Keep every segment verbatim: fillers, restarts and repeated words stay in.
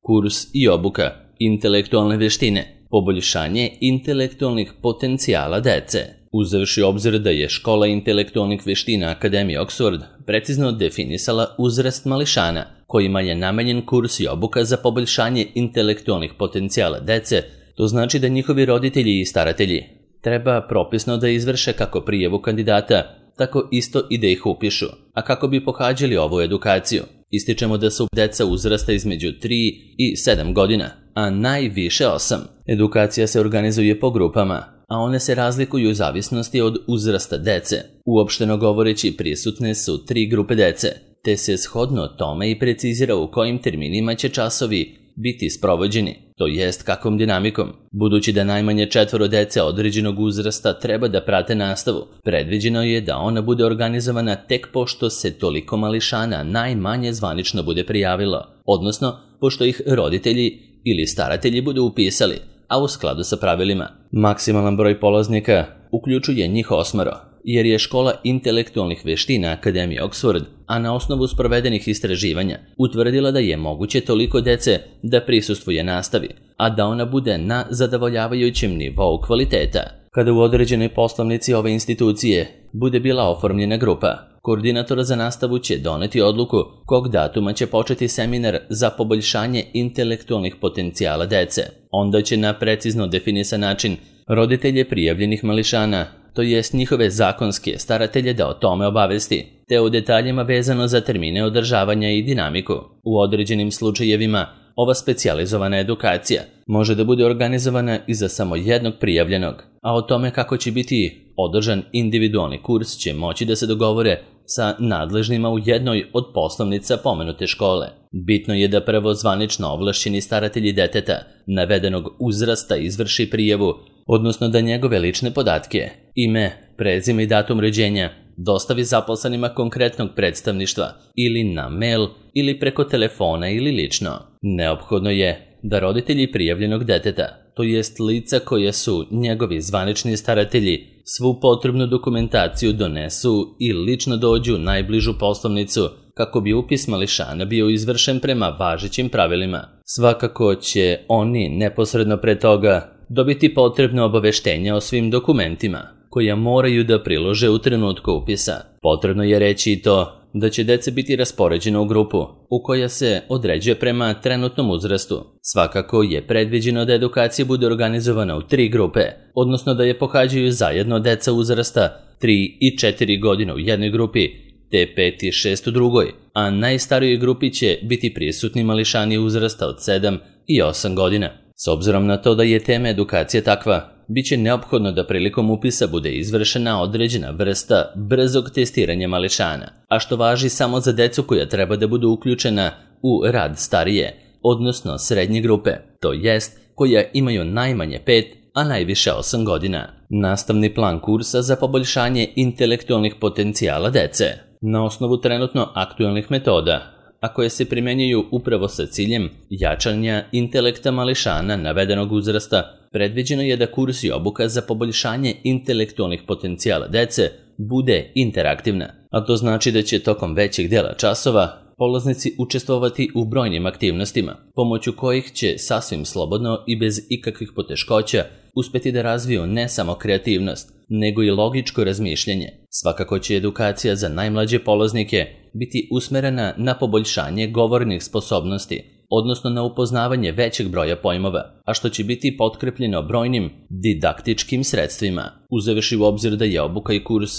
Kurs i obuka, intelektualne veštine, poboljšanje intelektualnih potencijala dece. Uzevši obzir da je Škola intelektualnih veština Akademije Oxford precizno definisala uzrast mališana, kojima je namenjen kurs i obuka za poboljšanje intelektualnih potencijala dece, to znači da njihovi roditelji i staratelji treba propisno da izvrše kako prijavu kandidata, tako isto i da ih upišu, a kako bi pohađali ovu edukaciju. Ističemo da su deca uzrasta između tri i sedam godina, a najviše osam. Edukacija se organizuje po grupama, a one se razlikuju u zavisnosti od uzrasta dece. Uopšteno govoreći, prisutne su tri grupe dece, te se shodno tome i precizira u kojim terminima će časovi biti sprovođeni, to jest kakvom dinamikom. Budući da najmanje četvoro dece određenog uzrasta treba da prate nastavu, predviđeno je da ona bude organizovana tek pošto se toliko mališana najmanje zvanično bude prijavilo, odnosno pošto ih roditelji ili staratelji budu upisali, a u skladu sa pravilima. Maksimalan broj polaznika uključuje njih osmoro, jer je Škola intelektualnih veština Akademije Oxford, a na osnovu sprovedenih istraživanja, utvrdila da je moguće toliko dece da prisustvuje nastavi, a da ona bude na zadovoljavajućem nivou kvaliteta. Kada u određenoj poslovnici ove institucije bude bila oformljena grupa, koordinator za nastavu će doneti odluku kog datuma će početi seminar za poboljšanje intelektualnih potencijala dece. Onda će na precizno definisan način roditelje prijavljenih mališana, to jest njihove zakonske staratelje, da o tome obavesti, te o detaljima vezano za termine održavanja i dinamiku. U određenim slučajevima ova specijalizovana edukacija može da bude organizovana i za samo jednog prijavljenog, a o tome kako će biti održan individualni kurs će moći da se dogovore sa nadležnima u jednoj od poslovnica pomenute škole. Bitno je da prvo zvanično ovlašćeni staratelji deteta navedenog uzrasta izvrši prijavu, odnosno da njegove lične podatke, ime, prezime i datum rođenja, dostavi zaposlenima konkretnog predstavništva ili na mail ili preko telefona ili lično. Neophodno je da roditelji prijavljenog deteta, to jest lica koje su njegovi zvanični staratelji, svu potrebnu dokumentaciju donesu i lično dođu u najbližu poslovnicu kako bi upis mališana bio izvršen prema važećim pravilima. Svakako će oni neposredno pre toga dobiti potrebno obaveštenja o svim dokumentima koja moraju da prilože u trenutku upisa. Potrebno je reći i to da će deca biti raspoređena u grupu u koja se određuje prema trenutnom uzrastu. Svakako je predviđeno da edukacija bude organizovana u tri grupe, odnosno da je pohađaju zajedno deca uzrasta tri i četiri godine u jednoj grupi, te pet i šest u drugoj, a najstarijoj grupi će biti prisutni mališani uzrasta od sedam i osam godina. S obzirom na to da je tema edukacije takva, biće neophodno da prilikom upisa bude izvršena određena vrsta brzog testiranja mališana, a što važi samo za decu koja treba da budu uključena u rad starije, odnosno srednje grupe, to jest koja imaju najmanje pet, a najviše osam godina. Nastavni plan kursa za poboljšanje intelektualnih potencijala dece na osnovu trenutno aktualnih metoda, a koje se primenjuju upravo sa ciljem jačanja intelekta mališana navedenog uzrasta, predviđeno je da kurs i obuka za poboljšanje intelektualnih potencijala dece bude interaktivna, a to znači da će tokom većeg dela časova polaznici učestvovati u brojnim aktivnostima, pomoću kojih će sasvim slobodno i bez ikakvih poteškoća uspeti da razviju ne samo kreativnost, nego i logičko razmišljanje. Svakako će edukacija za najmlađe polaznike biti usmerena na poboljšanje govornih sposobnosti, odnosno na upoznavanje većeg broja pojmova, a što će biti potkrepljeno brojnim didaktičkim sredstvima. Uzevši u obzir da je obuka i kurs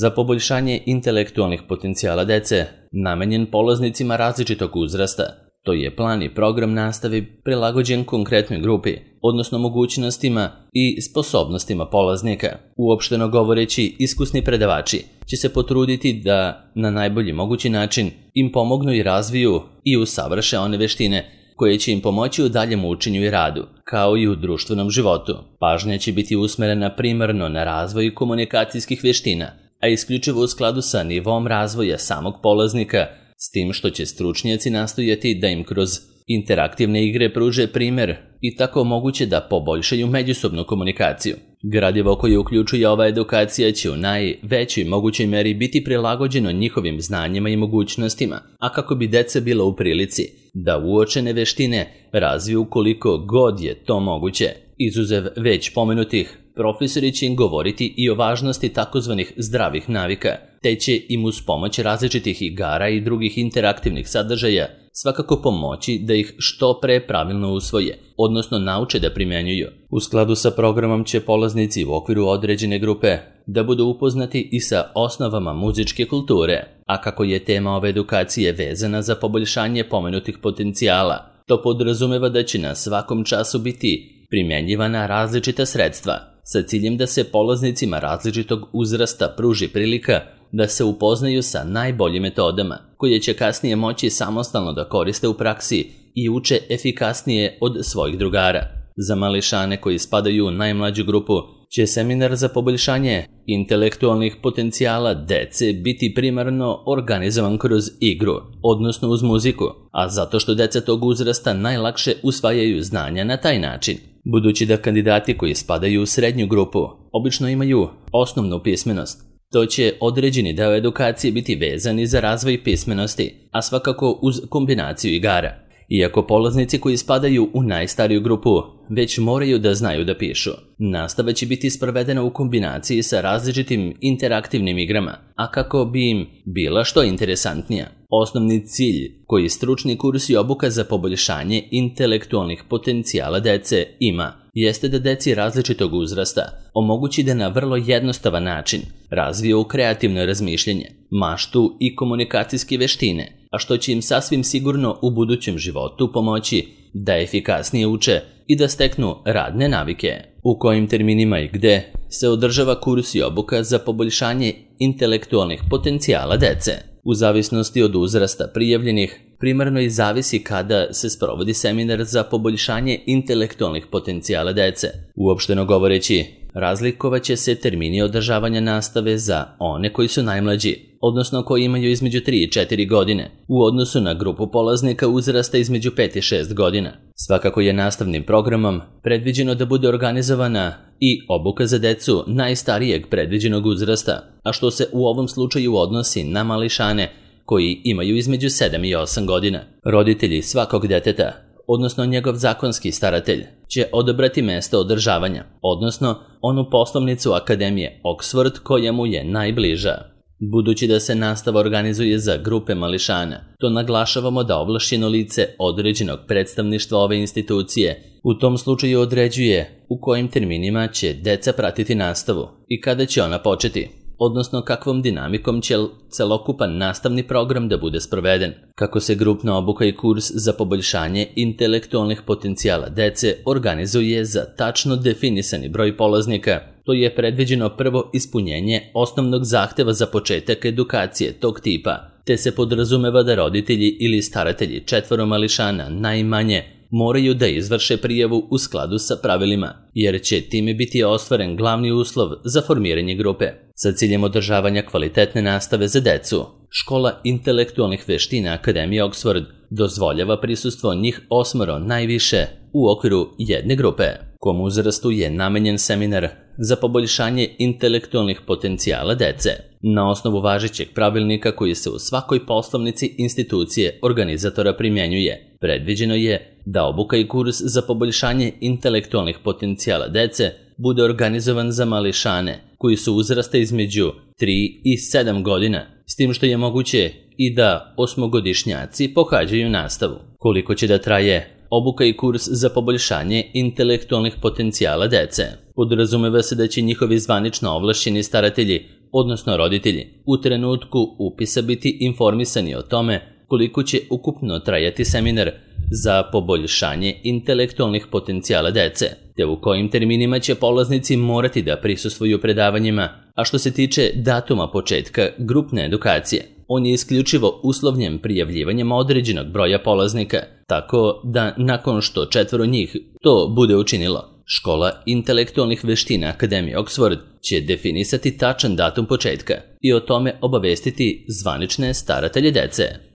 za poboljšanje intelektualnih potencijala dece namenjen polaznicima različitog uzrasta, to je plan i program nastave prilagođen konkretnoj grupi, odnosno mogućnostima i sposobnostima polaznika. Uopšteno govoreći, iskusni predavači će se potruditi da na najbolji mogući način im pomognu i razviju i usavrše one veštine koje će im pomoći u daljem učenju i radu, kao i u društvenom životu. Pažnja će biti usmerena primarno na razvoj komunikacijskih veština, a isključivo u skladu sa nivom razvoja samog polaznika, s tim što će stručnjaci nastojati da im kroz interaktivne igre pruže primer i tako moguće da poboljšaju međusobnu komunikaciju. Gradivo koje uključuje ova edukacija će u najvećoj mogućoj meri biti prilagođeno njihovim znanjima i mogućnostima, a kako bi deca bila u prilici da uočene veštine razviju koliko god je to moguće. Izuzev već pomenutih, profesori će im govoriti i o važnosti takozvanih zdravih navika, te će im uz pomoć različitih igara i drugih interaktivnih sadržaja svakako pomoći da ih što pre pravilno usvoje, odnosno nauče da primenjuju. U skladu sa programom će polaznici u okviru određene grupe da budu upoznati i sa osnovama muzičke kulture, a kako je tema ove edukacije vezana za poboljšanje pomenutih potencijala, to podrazumeva da će na svakom času biti primjenjivana različita sredstva, sa ciljem da se polaznicima različitog uzrasta pruži prilika da se upoznaju sa najboljim metodama, koje će kasnije moći samostalno da koriste u praksi i uče efikasnije od svojih drugara. Za mališane koji spadaju u najmlađu grupu će seminar za poboljšanje intelektualnih potencijala dece biti primarno organizovan kroz igru, odnosno uz muziku, a zato što deca tog uzrasta najlakše usvajaju znanja na taj način. Budući da kandidati koji spadaju u srednju grupu obično imaju osnovnu pismenost, to će određeni deo edukacije biti vezan i za razvoj pismenosti, a svakako uz kombinaciju igara. Iako polaznici koji spadaju u najstariju grupu već moraju da znaju da pišu, nastava će biti sprovedena u kombinaciji sa različitim interaktivnim igrama, a kako bi im bila što interesantnija. Osnovni cilj koji stručni kurs i obuka za poboljšanje intelektualnih potencijala dece ima jeste da deci različitog uzrasta omogući da na vrlo jednostavan način razviju kreativno razmišljanje, maštu i komunikacijske veštine, a što će im sasvim sigurno u budućem životu pomoći da efikasnije uče i da steknu radne navike. U kojim terminima i gde se održava kurs i obuka za poboljšanje intelektualnih potencijala dece? U zavisnosti od uzrasta prijavljenih, primarno i zavisi kada se sprovodi seminar za poboljšanje intelektualnih potencijala dece. Uopšteno govoreći, razlikovat će se termini održavanja nastave za one koji su najmlađi, odnosno koji imaju između tri i četiri godine, u odnosu na grupu polaznika uzrasta između pet i šest godina. Svakako je nastavnim programom predviđeno da bude organizovana i obuka za decu najstarijeg predviđenog uzrasta, a što se u ovom slučaju odnosi na mališane koji imaju između sedam i osam godina. Roditelji svakog deteta, odnosno njegov zakonski staratelj, će odabrati mesto održavanja, odnosno onu poslovnicu Akademije Oxford koja mu je najbliža. Budući da se nastava organizuje za grupe mališana, to naglašavamo da ovlašćeno lice određenog predstavništva ove institucije u tom slučaju određuje u kojim terminima će deca pratiti nastavu i kada će ona početi, odnosno kakvom dinamikom će celokupan nastavni program da bude sproveden. Kako se grupna obuka i kurs za poboljšanje intelektualnih potencijala dece organizuje za tačno definisani broj polaznika, to je predviđeno prvo ispunjenje osnovnog zahteva za početak edukacije tog tipa, te se podrazumeva da roditelji ili staratelji četvoro mališana najmanje moraju da izvrše prijavu u skladu sa pravilima, jer će time biti ostvaren glavni uslov za formiranje grupe. Sa ciljem održavanja kvalitetne nastave za decu, Škola intelektualnih veština Akademije Oxford dozvoljava prisustvo njih osmoro najviše u okviru jedne grupe. Kom uzrastu je namenjen seminar za poboljšanje intelektualnih potencijala dece. Na osnovu važećeg pravilnika koji se u svakoj poslovnici institucije organizatora primjenjuje, predviđeno je da obuka i kurs za poboljšanje intelektualnih potencijala dece bude organizovan za mališane koji su uzrasta između tri i sedam godina, s tim što je moguće i da osmogodišnjaci pohađaju nastavu. Koliko će da traje obuka i kurs za poboljšanje intelektualnih potencijala dece? Podrazumeva se da će njihovi zvanično ovlašćeni staratelji, odnosno roditelji, u trenutku upisa biti informisani o tome koliko će ukupno trajati seminar za poboljšanje intelektualnih potencijala dece, te u kojim terminima će polaznici morati da prisustvuju predavanjima, a što se tiče datuma početka grupne edukacije, on je isključivo uslovljen prijavljivanjem određenog broja polaznika, tako da nakon što četvoro njih to bude učinilo, Škola intelektualnih veština Akademije Oxford će definisati tačan datum početka i o tome obavestiti zvanične staratelje dece.